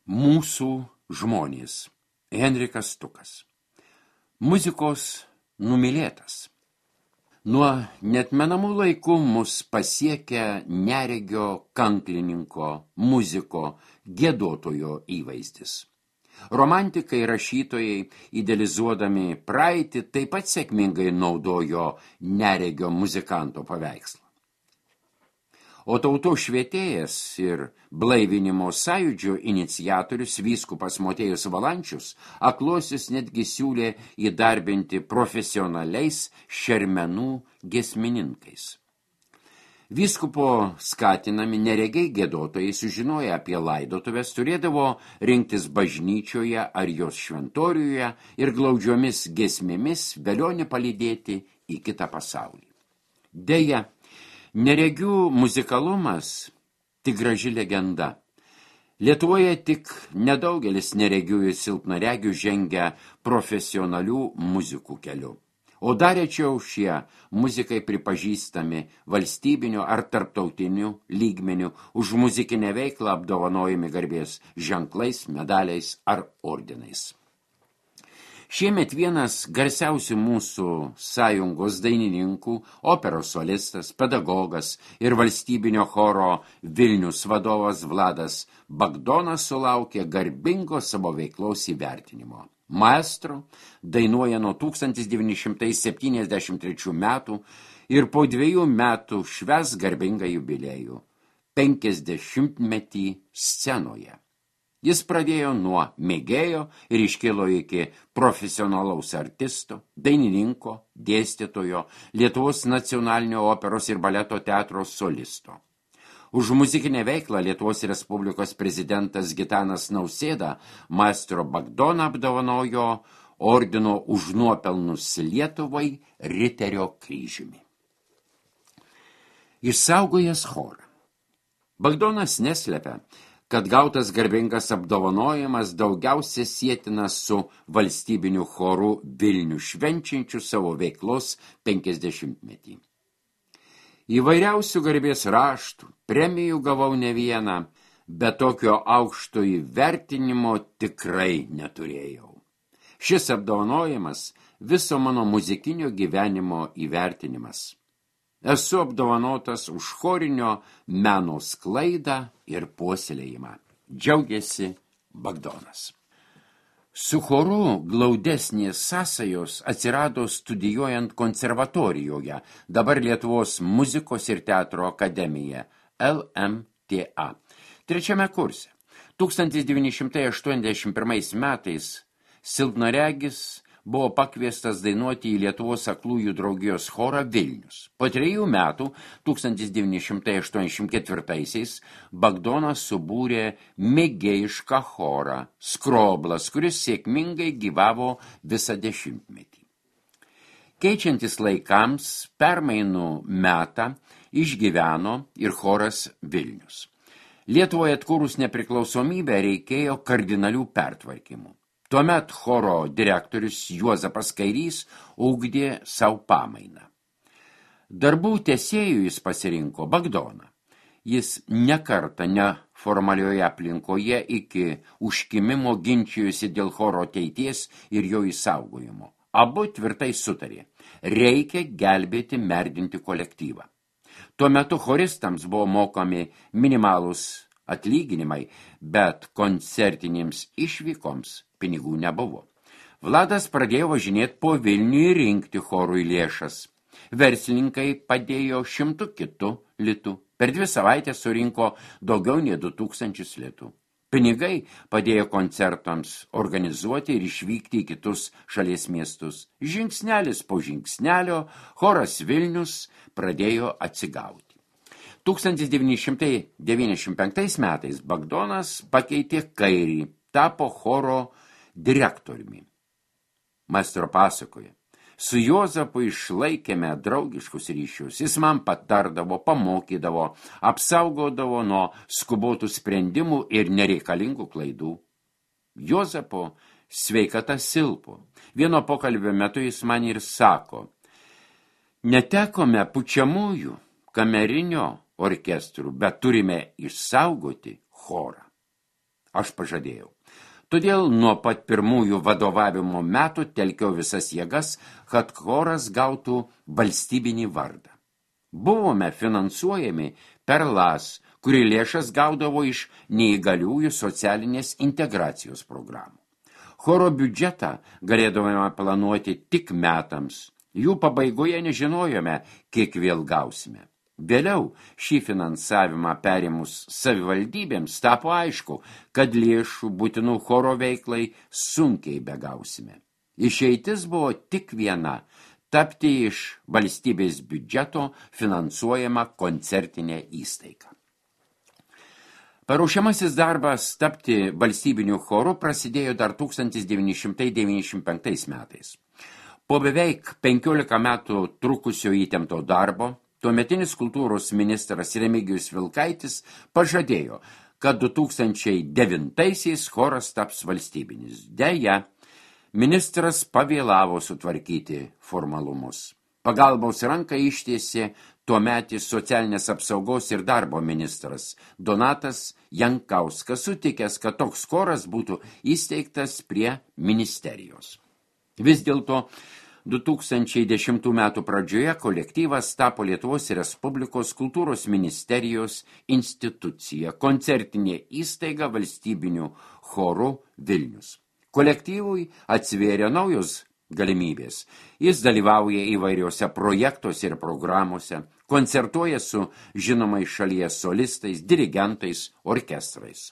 Mūsų žmonės. Henrikas Stukas. Muzikos numylėtas. Nuo netmenamų laikų mus pasiekia neregio kanklininko, muziko, giedotojo įvaizdis. Romantikai rašytojai, idealizuodami praeitį, taip pat sėkmingai naudojo neregio muzikanto paveikslą. O tautos švietėjas ir blaivinimo sąjūdžio iniciatorius vyskupas Motiejus Valančius akluosius netgi siūlė įdarbinti profesionaliais šermenų giesmininkais. Vyskupo skatinami neregiai giedotojai sužinoję apie laidotuves turėdavo rinktis bažnyčioje ar jos šventoriuje ir glaudžiomis giesmėmis velionį palydėti į kitą pasaulį. Deja, neregių muzikalumas tik graži legenda. Lietuvoje tik nedaugelis neregių ir silpnaregių žengia profesionalių muzikų keliu. O dar rečiau šie muzikai pripažįstami valstybiniu ar tarptautiniu lygmeniu, už muzikinę veiklą apdovanojami garbės ženklais, medaliais ar ordinais. Šiemet vienas garsiausių mūsų sąjungos dainininkų, operos solistas, pedagogas ir valstybinio choro Vilnius vadovas Vladas Bagdonas sulaukė garbingo savo veiklos įvertinimo. Maestro dainuoja nuo 1973 metų ir po 2 metų švęs garbingą jubiliejų – 50-metį scenoje. Jis pradėjo nuo mėgėjo ir iškilo iki profesionalaus artisto, dainininko, dėstytojo, Lietuvos nacionalinio operos ir baleto teatro solisto. Už muzikinę veiklą Lietuvos Respublikos prezidentas Gitanas Nausėda maestro Bagdoną apdovanojo ordino už nuopelnus Lietuvai Riterio kryžiumi. Išsaugojęs chorą. Bagdonas neslepia, kad gautas garbingas apdovanojimas daugiausia sietinas su valstybiniu choru Vilnių švenčiančiu savo veiklos 50-metį. Įvairiausių garbės raštų, premijų gavau ne vieną, bet tokio aukšto įvertinimo tikrai neturėjau. Šis apdovanojimas viso mano muzikinio gyvenimo įvertinimas. Esu apdovanotas už chorinio meno sklaidą ir puoselėjimą. Džiaugiasi Bagdonas. Su choru glaudesnės sąsajos atsirado studijuojant konservatorijoje, dabar Lietuvos muzikos ir teatro akademija, LMTA. 3 kurse. 1981 metais silpnaregis buvo pakviestas dainuoti į Lietuvos aklųjų draugijos chorą Vilnius. Po 3 metų, 1984-aisiais, Bagdonas subūrė mėgėjišką chorą Skroblas, kuris sėkmingai gyvavo visą 10-metį. Keičiantis laikams, permainų metą išgyveno ir choras Vilnius. Lietuvoje atkūrus nepriklausomybę reikėjo kardinalių pertvarkymų. Tuomet choro direktorius Juozapas Kairys ugdė savo pamainą. Darbų tęsėjų jis pasirinko Bagdoną. Jis nekartą neformalioje aplinkoje iki užkimimo ginčijosi dėl choro ateities ir jo išsaugojimo. Abu tvirtai sutarė, reikia gelbėti merdinti kolektyvą. Tuo metu choristams buvo mokami minimalūs atlyginimai, bet koncertinėms išvykoms pinigų nebuvo. Vladas pradėjo važinėti po Vilnių ir rinkti chorui lėšas. Verslininkai padėjo 100 kitų litų. Per 2 savaitės surinko daugiau nei 2000 litų. Pinigai padėjo koncertams organizuoti ir išvykti į kitus šalies miestus. Žingsnelis po žingsnelio choras Vilnius pradėjo atsigauti. 1995 metais Bagdonas pakeitė Kairį, tapo choro direktoriumi. Maestro pasakoja, su Juozapu išlaikėme draugiškus ryšius, jis man patardavo, pamokydavo, apsaugodavo nuo skubotų sprendimų ir nereikalingų klaidų. Juozapo sveikata silpo. Vieno pokalbio metu jis man ir sako, netekome pučiamųjų, kamerinio orkestrų, bet turime išsaugoti chorą. Aš pažadėjau. Todėl nuo pat pirmųjų vadovavimo metų telkiau visas jėgas, kad choras gautų valstybinį vardą. Buvome finansuojami per LAS, kuri lėšas gaudavo iš neįgaliųjų socialinės integracijos programų. Choro biudžetą galėdavome planuoti tik metams. Jų pabaigoje nežinojome, kiek vėl gausime. Vėliau šį finansavimą perimus savivaldybėms tapo aišku, kad lėšų būtinų choro veiklai sunkiai begausime. Išeitis buvo tik viena – tapti iš valstybės biudžeto finansuojama koncertinė įstaiga. Paruošiamasis darbas tapti valstybiniu choru prasidėjo dar 1995 metais. Po beveik 15 metų trukusio įtempto darbo, tuometinis kultūros ministras Remigijus Vilkaitis pažadėjo, kad 2009-aisiais choras taps valstybinis. Deja, ministras pavėlavo sutvarkyti formalumus. Pagalbos ranką ištiesė tuometis socialinės apsaugos ir darbo ministras Donatas Jankauskas, sutikęs, kad toks choras būtų įsteigtas prie ministerijos. Vis dėlto 2010 metų pradžioje kolektyvas tapo Lietuvos Respublikos kultūros ministerijos institucija, koncertinė įstaiga valstybinių chorų Vilnius. Kolektyvui atsivėrė naujos galimybės. Jis dalyvauja įvairiuose projektuose ir programuose, koncertuoja su žinomais šalies solistais, dirigentais, orkestrais.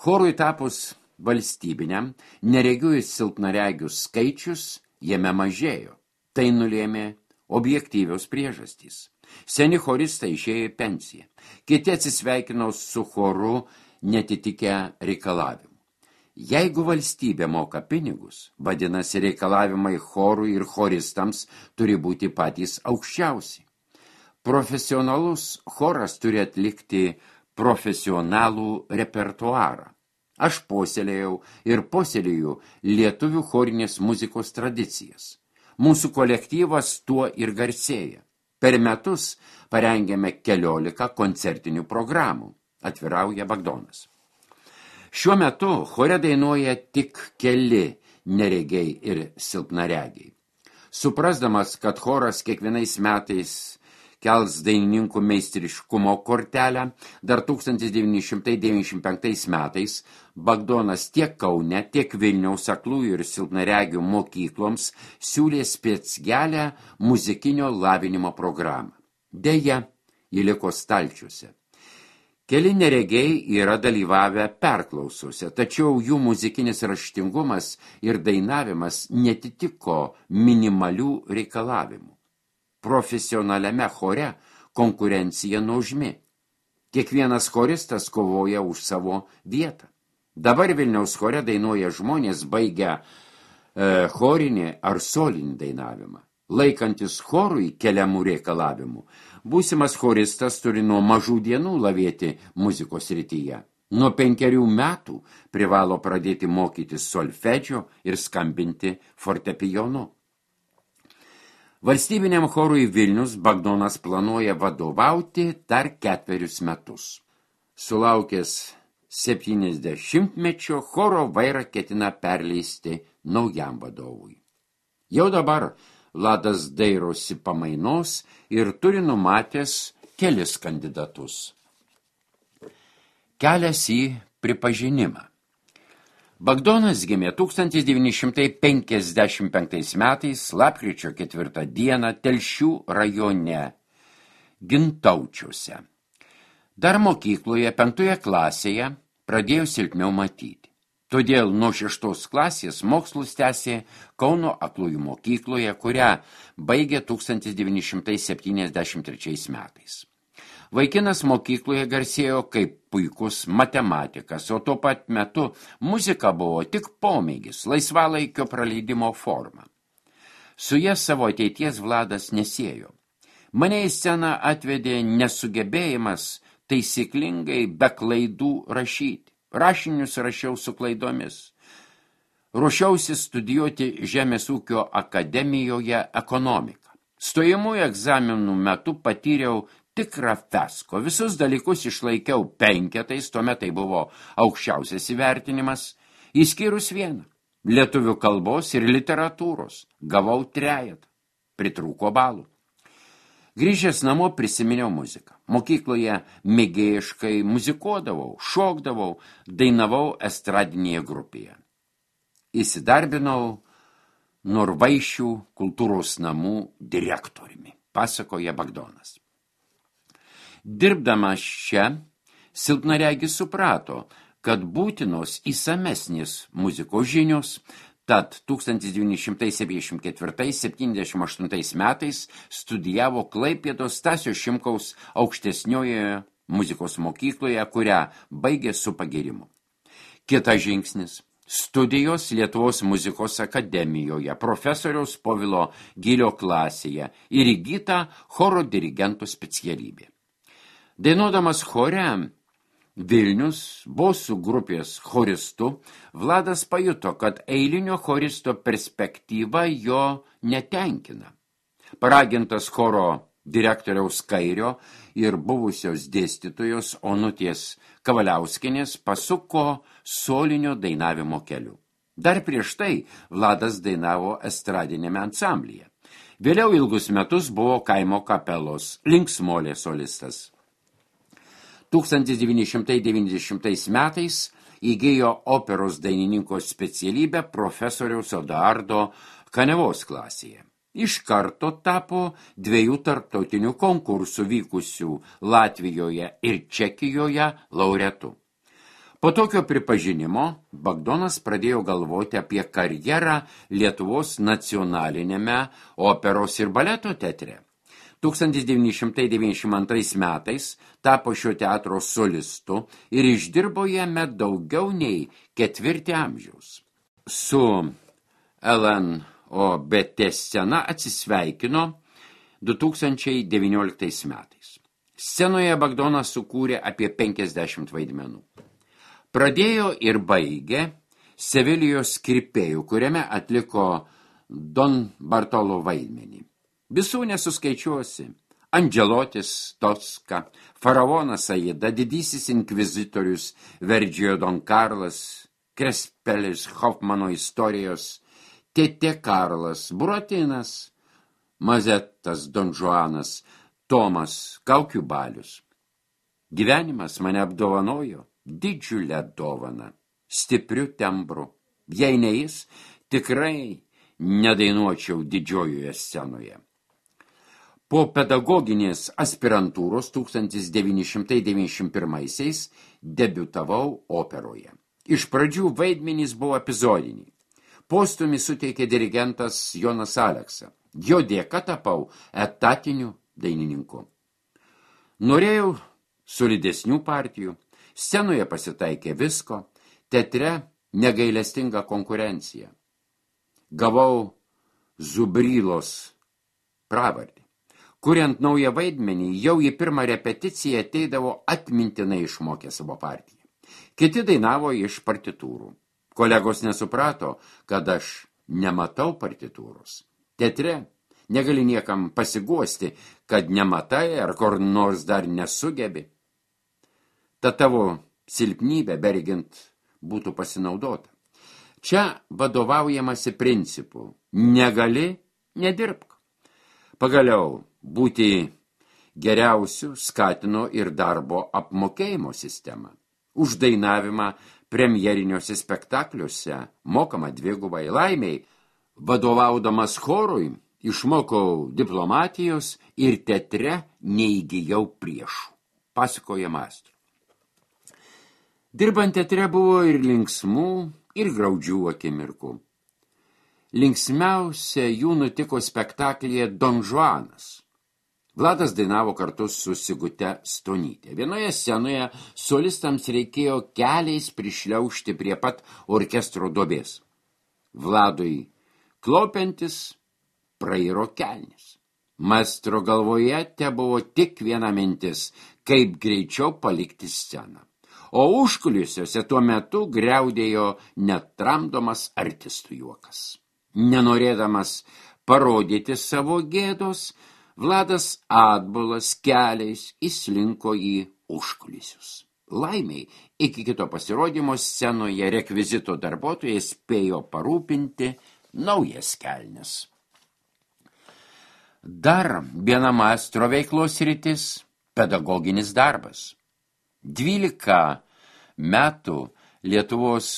Chorui tapus valstybiniam, neregių ir silpnaregių skaičius jame mažėjo. Tai nulėmė objektyvios priežastys. Seni choristai išėjo į pensiją. Kiti atsisveikino su choru netitikę reikalavimų. Jeigu valstybė moka pinigus, vadinasi reikalavimai chorui ir choristams turi būti patys aukščiausi. Profesionalus choras turi atlikti profesionalų repertuarą. Aš puoselėjau ir puoselėjau lietuvių chorinės muzikos tradicijas. Mūsų kolektyvas tuo ir garsėja. Per metus parengėme 14 koncertinių programų, atvirauja Bagdonas. Šiuo metu chore dainuoja tik keli neregiai ir silpnaregiai. Suprasdamas, kad choras kiekvienais metais kels dainininkų meistriškumo kortelę, dar 1995 metais Bagdonas tiek Kaune, tiek Vilniaus aklųjų ir silpnaregių mokykloms siūlė specgelę muzikinio lavinimo programą. Deja, ji liko stalčiuose. Keli neregiai yra dalyvavę perklausose, tačiau jų muzikinis raštingumas ir dainavimas netitiko minimalių reikalavimų. Profesionaliame chore konkurencija nuožmi. Kiekvienas choristas kovoja už savo vietą. Dabar Vilniaus chore dainuoja žmonės baigę chorinį ar solinį dainavimą. Laikantis chorui keliamų reikalavimų, būsimas choristas turi nuo mažų dienų lavėti muzikos srityje. Nuo 5 metų privalo pradėti mokytis solfedžio ir skambinti fortepijonu. Valstybiniam chorui Vilnius Bagdonas planuoja vadovauti dar 4 metus. Sulaukęs 70-mečio choro vairą ketina perleisti naujam vadovui. Jau dabar Ladas dairosi pamainos ir turi numatęs kelis kandidatus. Kelias į pripažinimą. Bagdonas gimė 1955 metais, lapkričio 4 dieną, Telšių rajone, Gintaučiuose. Dar mokykloje 5 klasėje pradėjo silpniau matyti. Todėl nuo 6 klasės mokslus tęsė Kauno aklųjų mokykloje, kurią baigė 1973 metais. Vaikinas mokykloje garsėjo kaip puikus matematikas, o tuo pat metu muzika buvo tik pomėgis, laisvalaikio praleidimo forma. Su ja savo ateities Vladas nesiejo. Mane į sceną atvedė nesugebėjimas taisyklingai be klaidų rašyti. Rašinius rašiau su klaidomis. Ruošiausi studijuoti Žemės ūkio akademijoje ekonomiką. Stojamųjų egzaminų metu patyriau tikrą fesko. Visus dalykus išlaikiau 5, tuomet tai buvo aukščiausias įvertinimas, išskyrus vieną – lietuvių kalbos ir literatūros. Gavau 3, pritrūko balų. Grįžęs namo prisiminiau muziką. Mokykloje mėgėjiškai muzikuodavau, šokdavau, dainavau estradinėje grupėje. Įsidarbinau Norvaišių kultūros namų direktoriumi, pasakoja Bagdonas. Dirbdamas čia, silpnaregis suprato, kad būtinos įsamesnės muzikos žinios, tad 1974–78 metais studijavo Klaipėdos Stasio Šimkaus aukštesniojoje muzikos mokykloje, kurią baigė su pagyrimu. Kitas žingsnis – studijos Lietuvos muzikos akademijoje, profesoriaus Povilo Gylio klasėje ir įgyta choro dirigento specialybė. Dainuodamas chore Vilnius bosų grupės choristu, Vladas pajuto, kad eilinio choristo perspektyva jo netenkina. Paragintas choro direktoriaus Kairio ir buvusios dėstytojos Onutės Kavaliauskienės pasuko solinio dainavimo keliu. Dar prieš tai Vladas dainavo estradinėme ansamblyje. Vėliau ilgus metus buvo kaimo kapelos linksmolė solistas. 1990 metais įgijo operos dainininko specialybę profesoriaus Odardo Kanevos klasėje. Iš karto tapo 2 tarptautinių konkursų vykusių Latvijoje ir Čekijoje laureatu. Po tokio pripažinimo Bagdonas pradėjo galvoti apie karjerą Lietuvos nacionalinėme operos ir baleto teatre. 1992 metais tapo šio teatro solistu ir išdirbo jame daugiau nei 4 amžiaus. Su LNOBT scena atsisveikino 2019 metais. Scenoje Bagdonas sukūrė apie 50 vaidmenų. Pradėjo ir baigė Sevelijos Kirpėjų, kuriame atliko Don Bartolo vaidmenį. Visų nesuskaičiuosi. Andželotis Toska, faraonas Aida, didysis inkvizitorius Verdžio Don Karlas, Krespelis Hofmano istorijos, Tėtė Karlas, Buratinas, Mazetas Don Žuanas, Tomas Kaukių balius. Gyvenimas mane apdovanojo didžiulę dovaną, stipriu tembru. Jei ne jis, tikrai nedainuočiau didžiojoje scenoje. Po pedagoginės aspirantūros 1991-aisiais debiutavau operoje. Iš pradžių vaidmenys buvo epizodiniai. Postumi suteikė dirigentas Jonas Aleksa. Jo dėka tapau etatiniu dainininku. Norėjau solidesnių partijų, scenoje pasitaikė visko, teatre negailestinga konkurencija. Gavau Zubrylos pravardį. Kuriant naują vaidmenį, jau į pirmą repeticiją ateidavo atmintinai išmokę savo partiją. Kiti dainavo iš partitūrų. Kolegos nesuprato, kad aš nematau partitūros. Teatre negali niekam pasiguosti, kad nematai ar kur nors dar nesugebi. Ta tavo silpnybė bergint būtų pasinaudota. Čia vadovaujamasi principu negali, nedirbk. Pagaliau, būti geriausių skatino ir darbo apmokėjimo sistemą. Už dainavimą premjeriniuose spektakliuose mokama 2 laimiai. Vadovaudamas chorui išmokau diplomatijos ir teatre neįgijau priešų, pasakoja maestro. Dirbant teatre buvo ir linksmų, ir graudžių akimirkų. Linksmiausia jų nutiko spektaklyje Don Žuanas. Vladas dainavo kartu su Sigute Stonyte. Vienoje scenoje solistams reikėjo keliais prišliaužti prie pat orkestro duobės. Vladui klaupiantis prairo kelnis. Maestro galvoje tebuvo tik viena mintis, kaip greičiau palikti sceną. O užkulisiuose tuo metu griaudėjo netramdomas artistų juokas. Nenorėdamas parodyti savo gėdos, Vladas Atbulas keliais įslinko į užkulisius. Laimiai, iki kito pasirodymo scenoje rekvizito darbuotojai spėjo parūpinti naujas kelnes. Dar viena maestro veiklos sritis – pedagoginis darbas. 12 metų Lietuvos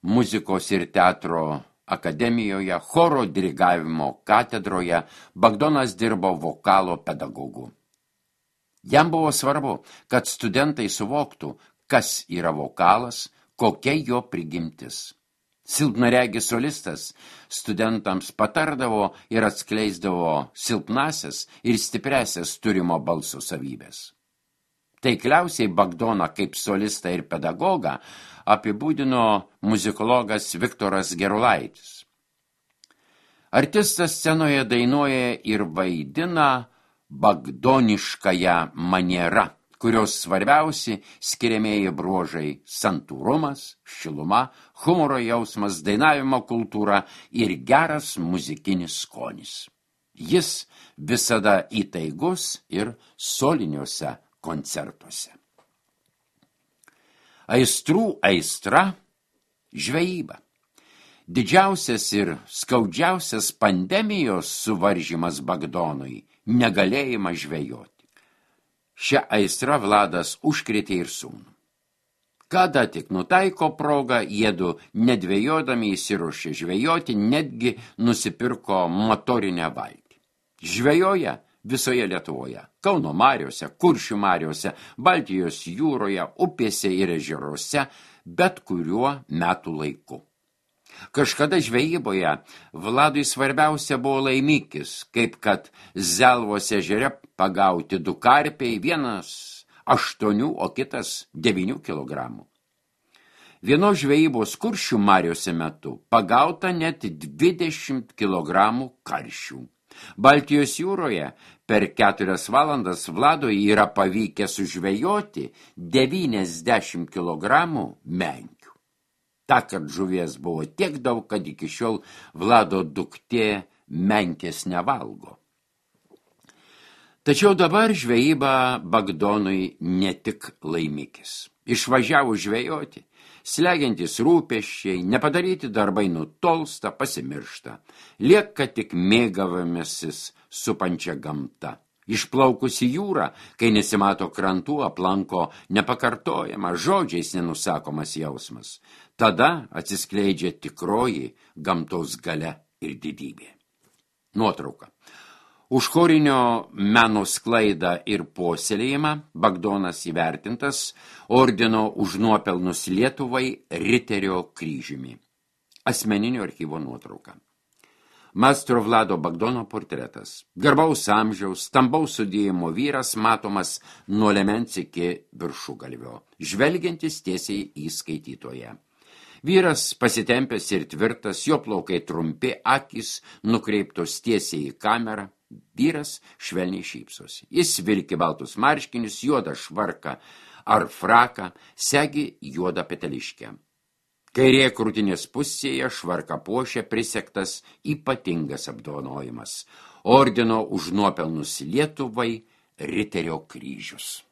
muzikos ir teatro akademijoje, choro dirigavimo katedroje Bagdonas dirbo vokalo pedagogu. Jam buvo svarbu, kad studentai suvoktų, kas yra vokalas, kokia jo prigimtis. Silpnaregis solistas studentams patardavo ir atskleisdavo silpnasias ir stipresias turimo balso savybės. Taikliausiai Bagdoną kaip solistą ir pedagogą apibūdino muzikologas Viktoras Gerulaitis. Artistas scenoje dainuoja ir vaidina bagdoniškąją manierą, kurios svarbiausi skiriamieji bruožai – santūrumas, šiluma, humoro jausmas, dainavimo kultūra ir geras muzikinis skonis. Jis visada įtaigus ir soliniuose koncertuose. Aistrų aistra – žvejyba. Didžiausias ir skaudžiausias pandemijos suvaržymas Bagdonui – negalėjimas žvejoti. Šią aistrą Vladas užkrėtė ir sūnų. Kada tik nutaiko progą, jiedu nedvejodami įsiruošė žvejoti, netgi nusipirko motorinę valtį. Žvejoja visoje Lietuvoje, Kauno mariose, Kuršių mariose, Baltijos jūroje, upėse ir ežeruose, bet kuriuo metų laiku. Kažkada žvejyboje Vladui svarbiausia buvo laimikis, kaip kad Zelvos ežere pagauti 2 karpiai, vienas 8, o kitas 9 kilogramų. Vienos žvejybos Kuršių mariose metu pagauta net 20 kilogramų karšių. Baltijos jūroje per 4 valandas Vladui yra pavykę sužvejoti 90 kilogramų menkių. Tąkart žuvies buvo tiek daug, kad iki šiol Vlado duktė menkės nevalgo. Tačiau dabar žvejyba Bagdonui ne tik laimikis. Išvažiavo žvejoti, slegiantis rūpesčiai, nepadaryti darbai nutolsta, pasimiršta. Lieka tik mėgavimasis supančia gamta. Išplaukus į jūrą, kai nesimato krantų, aplanko nepakartojama, žodžiais nenusakomas jausmas. Tada atsiskleidžia tikroji gamtos galia ir didybė. Nuotrauka. Už chorinio meno sklaidą ir puoselėjimą Bagdonas įvertintas ordino už nuopelnus Lietuvai Riterio kryžiumi. Asmeninio archyvo nuotrauka. Maestro Vlado Bagdono portretas. Garbaus amžiaus, stambaus sudėjimo vyras matomas nuo liemens iki viršugalvio, žvelgiantis tiesiai į skaitytoją. Vyras pasitempęs ir tvirtas, jo plaukai trumpi, akys nukreiptos tiesiai į kamerą. Vyras švelniai šypsosi. Jis vilki baltus marškinius, juodą švarką ar fraką, segi juodą peteliškę. Kairėje krūtinės pusėje švarką puošia prisegtas ypatingas apdovanojimas – ordino už nuopelnus Lietuvai Riterio kryžius.